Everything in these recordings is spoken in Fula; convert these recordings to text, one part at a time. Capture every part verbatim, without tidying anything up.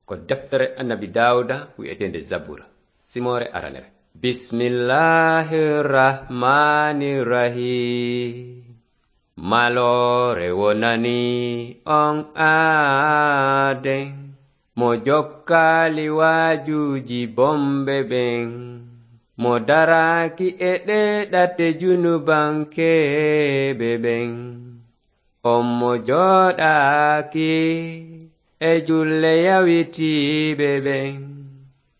Ko deftere Annabi Daawuda wi'eteende Zabura, simoore aranere. Bismillahir Rahmanir Rahim. Maloore wonani on aaden, mo jokkaali waajuuji bonɓe ɓen, mo daraaki e ɗee ɗate junubankeeɓe ɓen. On mo jooɗaaki e julle yawitiiɓe ɓen,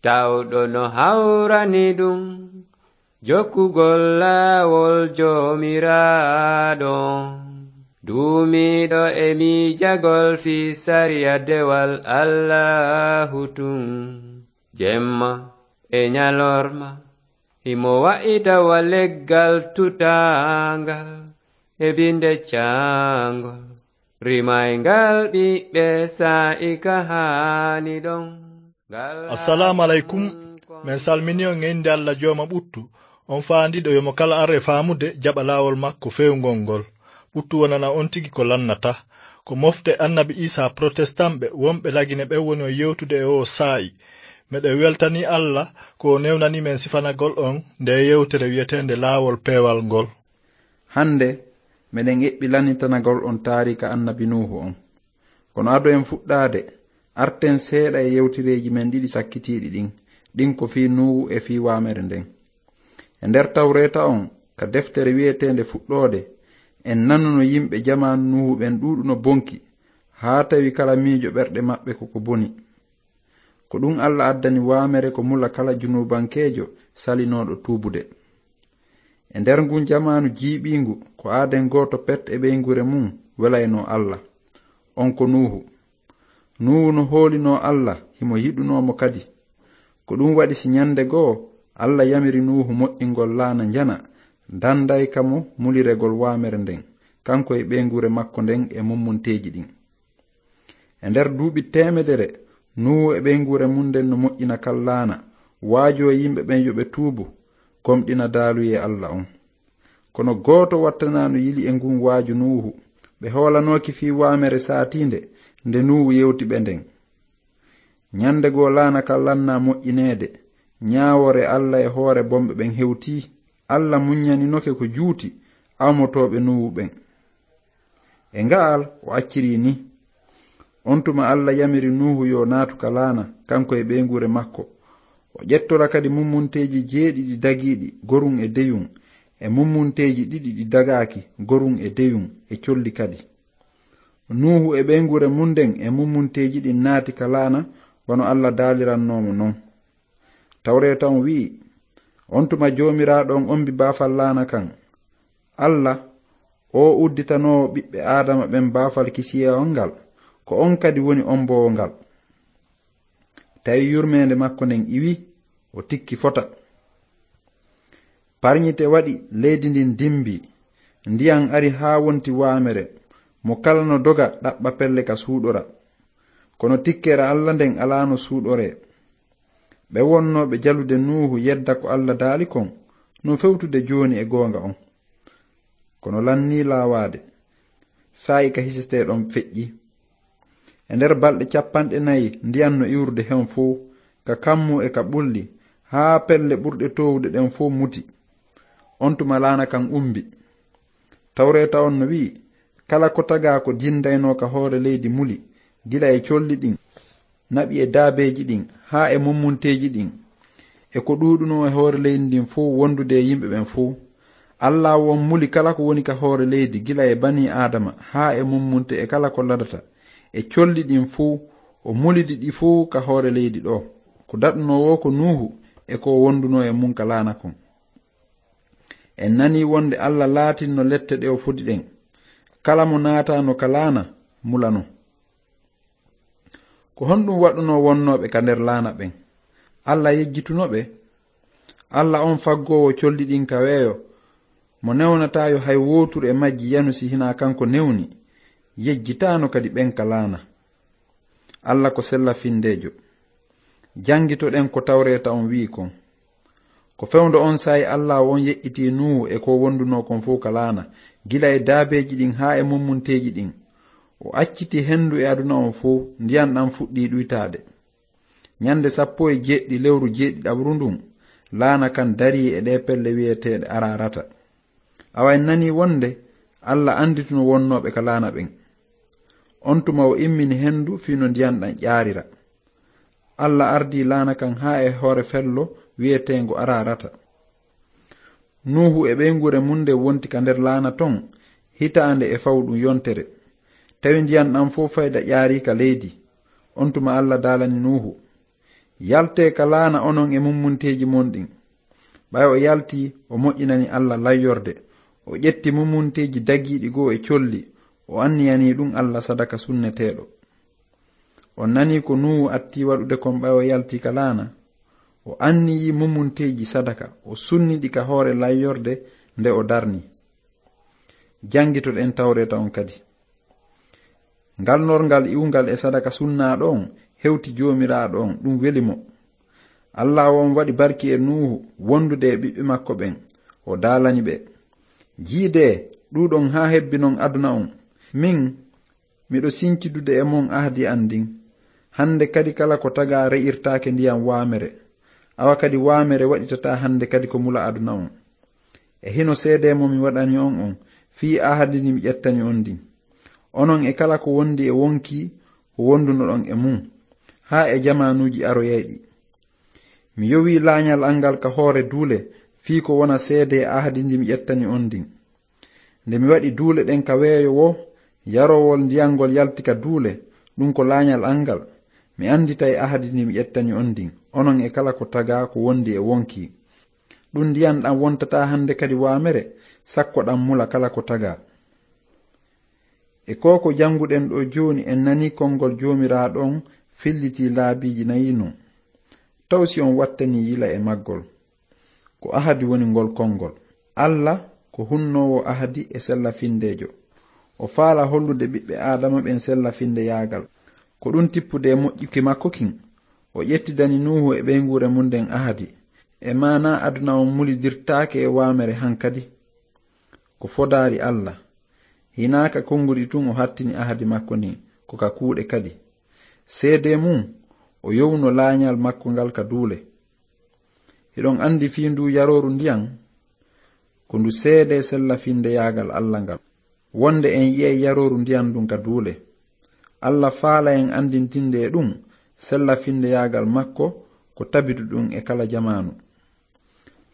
tawɗo no hawrani ɗum jokkugol laawol Joomiraaɗo. Duumiiɗo e miijagol fii sariya dewal Allaahu tun, jemma e ñalorma, himo wa'ita wa leggal tutaangal e binde caangol, rimayngal ɓiɓɓe saa'i ka haani ɗon. Ngal Assalaamu aleykum. Min salmini on e innde Alla Jooma ɓuttu, on faandiiɗo yo mo kala ar e faamude jaɓa laawol makko feewngol ngol. Ɓuttu wonana on tigi ko lannata. Ko mofte Annabi Iisaa protestant ɓe wonɓe Lagine ɓen woni on yewtude e oo saa'i. Meɗen weltanii Alla ko o newnanii men sifanagol on ndee yewtere wi'eteende Laawol Peewal ngol. Hannde, meɗen eɓɓi lannitanagol on taariika Annabi Nuuhu on. Kono ado en fuɗɗaade, arten seeɗa e yewtereeji men ɗiɗi sakkitiiɗi ɗin, ɗin ko fii Nuuhu e fii waamere nden. E nder Tawreeta on, ka deftere wi'eteende Fuɗɗoode, en nanuno yimɓe jamaanu Nuuhu ɓen ɗuuɗuno bonki, haa tawi kala miijo ɓerɗe maɓɓe ko ko boni. Ko ɗum Alla addani waamere ko mula kala junuubankeejo salinooɗo tuubude. E nder ngun jamaanu jiiɓiingu, ko aaden gooto pet e ɓeynguure mun welaynoo Alla. On ko Nuuhu. Nuuhu no hoolinoo Alla, himo yiɗunoo mo kadi. Ko ɗum waɗi si ñande goo Alla yamiri Nuuhu moƴƴingol laana njana, dandayka mo muliregol waamere nden, kanko e ɓeynguure makko nden e mummunteeji ɗin. E nder duuɓi teemedere, Nuuhu e ɓeynguure mun nden no moƴƴina kan laana, waajoo yimɓe ɓen yo ɓe tuubu, gomɗina daaluyee Alla on. Kono gooto wattanaa no yili e ngun waaju Nuuhu, ɓe hoolanooki fii waamere saatiinde nde Nuuhu yewti ɓe nden. Ñande goo laana kan lannaa moƴƴineede, ñaawoore Alla e hoore bonɓe ɓen hewtii. Alla muññaninoke ko juuti awmotooɓe Nuuhu ɓen. E nga'al o acciri ni. On tuma Alla yamiri Nuuhu yo naatu ka laana, kanko e ɓeynguure makko. O ƴettora kadi mummunteeji jeeɗiɗi dagiiɗi, gorun e deyun, e mummunteeji ɗiɗi ɗi dagaaki, gorun e deyun, e colli kadi. Nuuhu e ɓeynguure mun nden e mummunteeji ɗin naati ka laana, wano Alla daalirannoo mo non. Tawreeta on wi'i, on tuma Joomiraaɗo on ombi baafal laana kan. Alla, o udditanoowo ɓiɓɓe Aadama ɓen baafal kisiyee on ngal, ko on kadi woni omboowo ngal. Tawi yurmeende makko nden iwi, o tikki fota. Parñite waɗi, leydi ndin dimbi, ndiyan ari haa wonti waamere, mo kala no doga ɗaɓɓa pelle ka suuɗora. Kono tikkere Alla nden alaa no suuɗoree. Ɓe wonnooɓe jalude Nuuhu yedda ko Alla daali kon, no fewtude jooni e goonga on. Kono lannii laawaade, saa'i ka hisetee ɗon feƴƴi. E nder balɗe capanɗe nayi ndiyan no iwrude hen fow, ka kammu e ka ɓulli, haa pelle ɓurɗe toowude ɗen fow muti. On tuma laana kan umbi. Tawreeta on no wi'i, kala ko tagaa ko jindaynoo ka hoore leydi muli, gila e colli ɗin, naɓi e daabeeji ɗin, haa e mummunteeji ɗin, e ko ɗuuɗunoo e hoore leydi ndin fow wondude e yimɓe ɓen fow. Alla on muli kala ko woni ka hoore leydi, gila e banii Aadama, haa e mummunte e kala ko ladata, e colli ɗin fow, o mulidi ɗi fow ka hoore leydi ɗoo. Ko daɗunoo woo ko Nuuhu e ko wondunoo e mun ka laana kon. En nanii wonde Alla laatinno lette ɗe o fodi ɗen. Kala mo naataano ka laana, mulano. Ko honɗum waɗunoo wonnooɓe ka nder laana ɓen? Alla yejjituno ɓe? Alla on faggoowo colli ɗin ka weeyo, mo newnataa yo hay wooturu e majji yanu si hinaa kanko newni, yejjitaano kadi ɓen ka laana. Alla ko sella findeejo. Janngitoɗen ko tawreeta on wi'i kon. Ko fewndo on saa'i Alla on yeƴƴitii Nuuhu e ko wondunoo kon fow ka laana, gila e daabeeji ɗin haa e mummunteeji ɗin. O acciti hendu e aduna on fow, ndiyan ɗan fuɗɗii ɗuytaade. Ñande sappo e jeeɗiɗi lewru jeeɗiɗaɓru ndun, laana kan darii e ɗee pelle wi'eteeɗe Ararata. Awa en nanii wonde Alla andituno wonnooɓe ka laana ɓen. On tuma o immini hendu fii no ndiyan ɗan ƴaarira. Alla ardii laana kan haa e hoore fello wi'eteengo Ararata. Nuuhu e ɓeynguure mun nden wonti ka nder laana ton hitaande e fawɗun yontere. Tawi ndiyan ɗan fow fayda ƴaarii ka leydi. On tuma Alla daalani Nuuhu: "Yaltee ka laana onon e mummunteeji mon ɗin." Ɓay o yaltii, o moƴƴinani Alla layyorde. O ƴetti mummunteeji dagiiɗi goo e colli, o anniyanii ɗun Alla sadaka sunneteeɗo. On nanii ko Nuuhu attii waɗude kon ɓay o yaltii ka laana? O anniyii mummunteeji sadaka, o sunni ɗi ka hoore layyorde nde o darni. Janngitoɗen Tawreeta on kadi. Ngal norngal iwungal e sadaka sunnaaɗo on hewti Joomiraaɗo on, ɗun weli mo. Allaahu on waɗi barki e Nuuhu wondude e ɓiɓɓe makko ɓen. O daalani ɓe: "Jiidee, ɗuuɗon haa hebbinon aduna on. Min, miɗo sinci dude e mon ahdi an ndin. Hande kadi kala ko tagaa re'irtaake ndiyan waamere. Awa kadi waamere waɗitataa hande kadi ko mula aduna on. E hino seedee mo mi waɗani on on, fii ahadi ndi mi ƴettani on ndin. Onon e kala ko wondi e wonkii ko wondunoɗon e mun, haa e jamaanuuji aroyayɗi. Mi yowii laañal an ngal ka hoore duule, fii ko wona seedee ahadi ndi mi ƴettani on ndin. Nde mi waɗi duule ɗen ka weeyo woo, yaroowol ndiyan ngol yalti ka duule, ɗun ko laañal an ngal. Mi anditay ahadi ndi mi ƴettani on ndin, onon e kala ko tagaa ko wondi e wonkii. Ɗun ndiyan ɗan wontataa hande kadi waamere, sakko ɗan mula kala ko tagaa." E koo ko jannguɗen ɗoo jooni, en nanii konngol Joomiraaɗo on fillitii laabiiji nayi non. Taw si on wattanii yila e maggol? Ko ahadi woni ngol konngol. Alla ko hunnoowo ahadi e sella-findeejo. O faalaa hollude ɓiɓɓe Aadama ɓen sella-findeyaagal. Ko ɗun tippude e moƴƴuki makko kin, o ƴettidani Nuuhu e ɓeynguure mun nden ahadi. E maanaa aduna on mulidirtaake e waamere hankadi. Ko fodaari Alla. Hinaa ka konnguɗi tun o hattini ahadi makko ndin, ko ka kuuɗe kadi. Seedee mun, o yowno laañal makko ngal ka duule. Hiɗon andi fii nduu yarooru ndiyan? Ko ndu seedee sella-findeyaagal Alla ngal, wonde en yi'ay yarooru ndiyan ndun ka duule. Alla faalaa en andintinde e ɗun sella-findeyaagal makko ko tabiduɗun e kala jamaanu.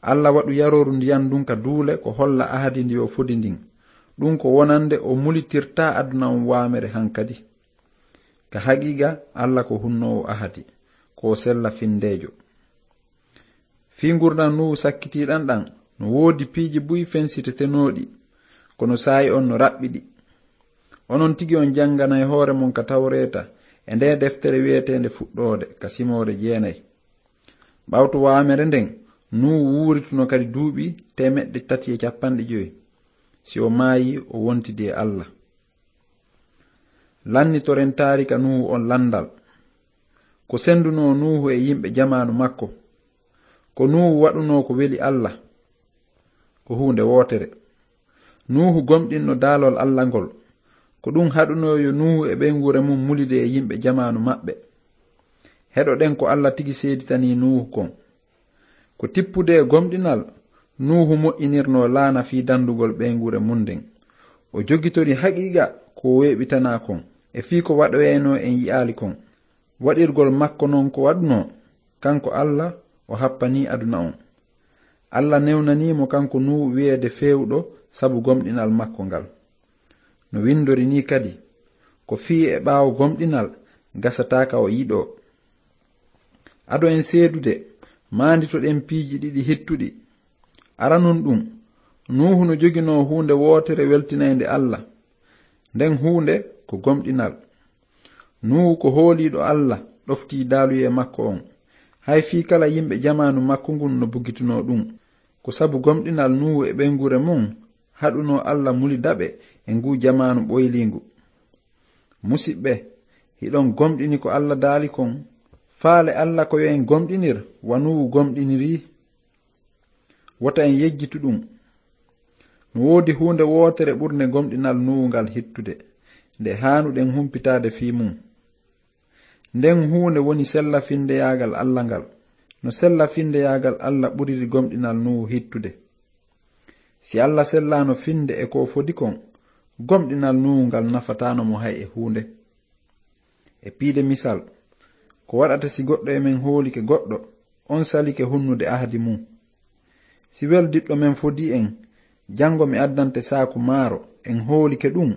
Alla waɗu yarooru ndiyan ndun ka duule ko holla ahadi ndi o fodi ndin. Ɗun ko wonande o mulitirtaa aduna on waamere hankadi. Ka haqiiqa, Alla ko hunnoowo ahadi, ko o sella-findeejo. Fii ngurndan Nuuhu sakkitiiɗan ɗan, no woodi piiji buy fensitetenooɗi, kono saa'i on no raɓɓiɗi. Onon tigi on jannganay hoore mon ka Tawreeta e ndee deftere wi'eteende Fuɗɗoode, ka simoore jeenay. Ɓawto waamere nden, Nuuhu wuurituno kadi duuɓi teemeɗɗe tati e cappanɗe jowi. Si o maayii, o wontidi e Alla. Lannitoren taarika Nuuhu on lanndal. Ko senndunoo Nuuhu e yimɓe jamaanu makko? Ko Nuuhu waɗunoo ko weli Alla? Ko huunde wootere. Nuuhu gomɗinno daalol Alla ngol. Ko ɗun haɗunoo yo Nuuhu e ɓeynguure mun mulide e yimɓe jamaanu maɓɓe. Heɗoɗen ko Alla tigi seeditanii Nuuhu kon. Ko tippude e gomɗinal, Nuuhu moƴƴinirnoo laana fii dandugol ɓeynguure mun nden. O jogitori haqiiqa ko o weeɓitanaa kon, e fii ko waɗoyaynoo en yi'aali kon. Waɗirgol makko non ko waɗunoo, kanko Alla, o happanii aduna on. Alla newnanii mo kanko Nuuhu wi'eede feewuɗo sabu gomɗinal makko ngal. No windori nii kadi, ko fii e ɓaawo gomɗinal gasataa ka o yiɗoo. Ado en seedude, maanditoɗen piiji ɗiɗi hittuɗi. Aranun ɗun, Nuuhu no joginoo huunde wootere weltinaynde Alla. Nden huunde ko gomɗinal. Nuuhu ko hooliiɗo Alla, ɗoftii daaluyee makko on. Hay fii kala yimɓe jamaanu makko ngun no bugitunoo ɗun. Ko sabu gomɗinal Nuuhu e ɓeynguure mun haɗunoo Alla mulida ɓe e nguu jamaanu ɓoyliingu. Musiɓɓe, hiɗon gomɗini ko Alla daali kon? Faale Alla ko yo en gomɗinir wa Nuuhu gomɗinirii? Wota en yejjitu ɗun. No woodi huunde wootere ɓurnde gomɗinal Nuuhu ngal hittude, nde haanuɗen humpitaade fii mun. Nden huunde woni sella-finndeyaagal Alla ngal, no sella-finndeyaagal Alla ɓuriri gomɗinal Nuuhu hittude. Si Alla sellaano finnde e ko fodi kon, gomɗinal Nuuhu ngal nafataano mo hay e huunde. E piide misal, ko waɗata si goɗɗo e men hoolike goɗɗo, on salike hunnude ahadi mum? Si weldiɗɗo men fodii en, janngo mi addante saaku maaro, en hoolike ɗum,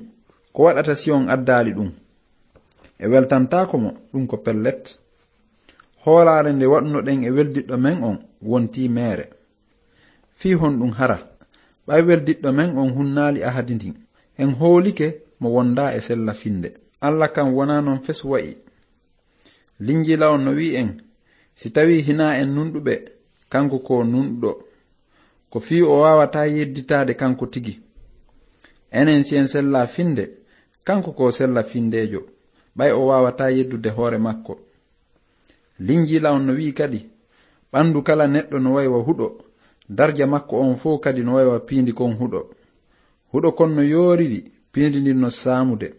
ko waɗata si on addaali ɗum? E weltantaako mo, ɗum ko pellet. Hoolaare nde waɗunoɗen e weldiɗɗo men on wontii meere. Fii honɗum hara? Ɓay weldiɗɗo men on hunnaali ahadi ndin, en hoolike mo wondaa e sella finnde. Alla kan wonaa non fes wa'i. Linjiila on no wi'i en, si tawii hinaa en nunɗuɓe, kanko ko nunɗuɗo. Ko fii o waawataa yedditaade kanko tigi. Enen si en sellaa finnde, kanko ko sella-finndeejo, ɓay o waawataa yeddude hoore makko. Linjiila on no wi'i kadi, ɓanndu kala neɗɗo no way wa huɗo, darja makko on fow kadi no way wa piindi kon huɗo. Huɗo kon no yooriri, piindi ndin no saamude.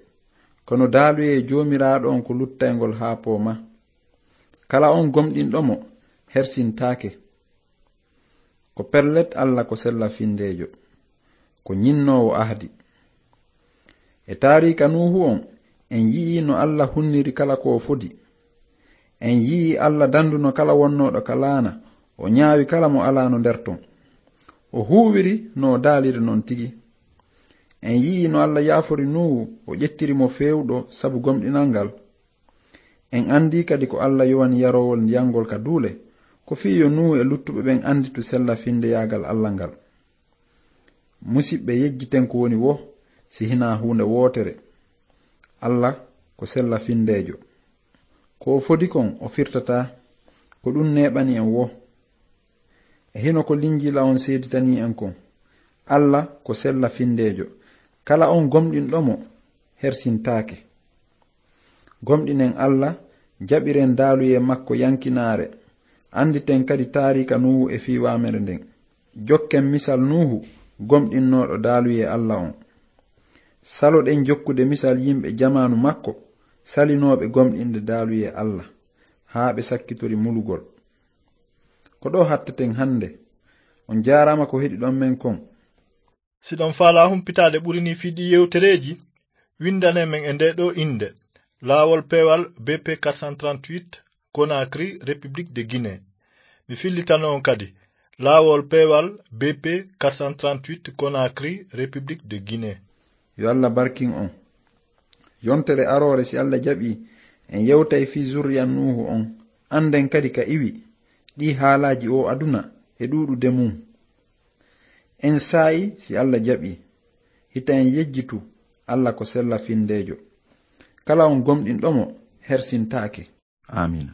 Kono daaluyee Joomiraaɗo on ko luttayngol haa pooma. Kala on gomɗinɗo mo, hersintaake. Ko pellet, Alla ko sella-finndeejo, ko ñinnoowo ahdi. E taariika Nuuhu on, en yi'ii no Alla hunniri kala ko fodi. En yi'ii Alla danduno kala wonnooɗo ka laana, o ñaawi kala mo alaano nder ton. O huuwiri no o daaliri non tigi. En yi'ii no Alla yaafori Nuuhu, o ƴettiri mo feewuɗo sabu gomɗinal ngal. En anndii kadi ko Alla yowani yaroowol ndiyan ngol ka duule, ko fii yo Nuuhu e luttuɓe ɓen annditu sella-finndeyaagal Alla ngal. Musiɓɓe, yejjiten ko woni wo, si hinaa huunde wootere. Alla ko sella-finndeejo. Ko o fodi kon, o firtataa. Ko ɗum neeɓani en wo. E hino ko Linjiila on seeditanii en kon. Alla ko sella-finndeejo. Kala on gomɗinɗo mo, hersintaake. Gomɗinen Alla, jaɓiren daaluyee makko yankinaare, annditen kadi taariika Nuuhu e fii waamere nden. Jokken misal Nuuhu, gomɗinnooɗo daaluyee Alla on. Saloɗen jokkude misal yimɓe jamaanu makko, salinooɓe gomɗinde daaluyee Alla, haa ɓe sakkitori mulugol. Ko ɗoo hatteten hannde. On jaaraama ko heɗiɗon men kon. Si ɗon faalaa humpitaade ɓuri nii fii ɗii yewtereeji, winndane men e ndee ɗoo innde, Laawol Peewal B P quatre cent trente-huit, Conakry, République de Guinée. Mi fillitano on kadi, Laawol Peewal B P quatre cent trente-huit, Conakry, République de Guinée. Yo Alla barkin on. Yontere aroore, si Alla jaɓii, en yewtay fii zurriya Nuuhu on. Annden kadi ka iwi, ɗii haalaaji oo aduna e ɗuuɗude mum. En saa'i, si Alla jaɓii. Hita en yejjitu, Alla ko sella-finndeejo. Kala on gomɗinɗo mo, hersintaake. Aamiina.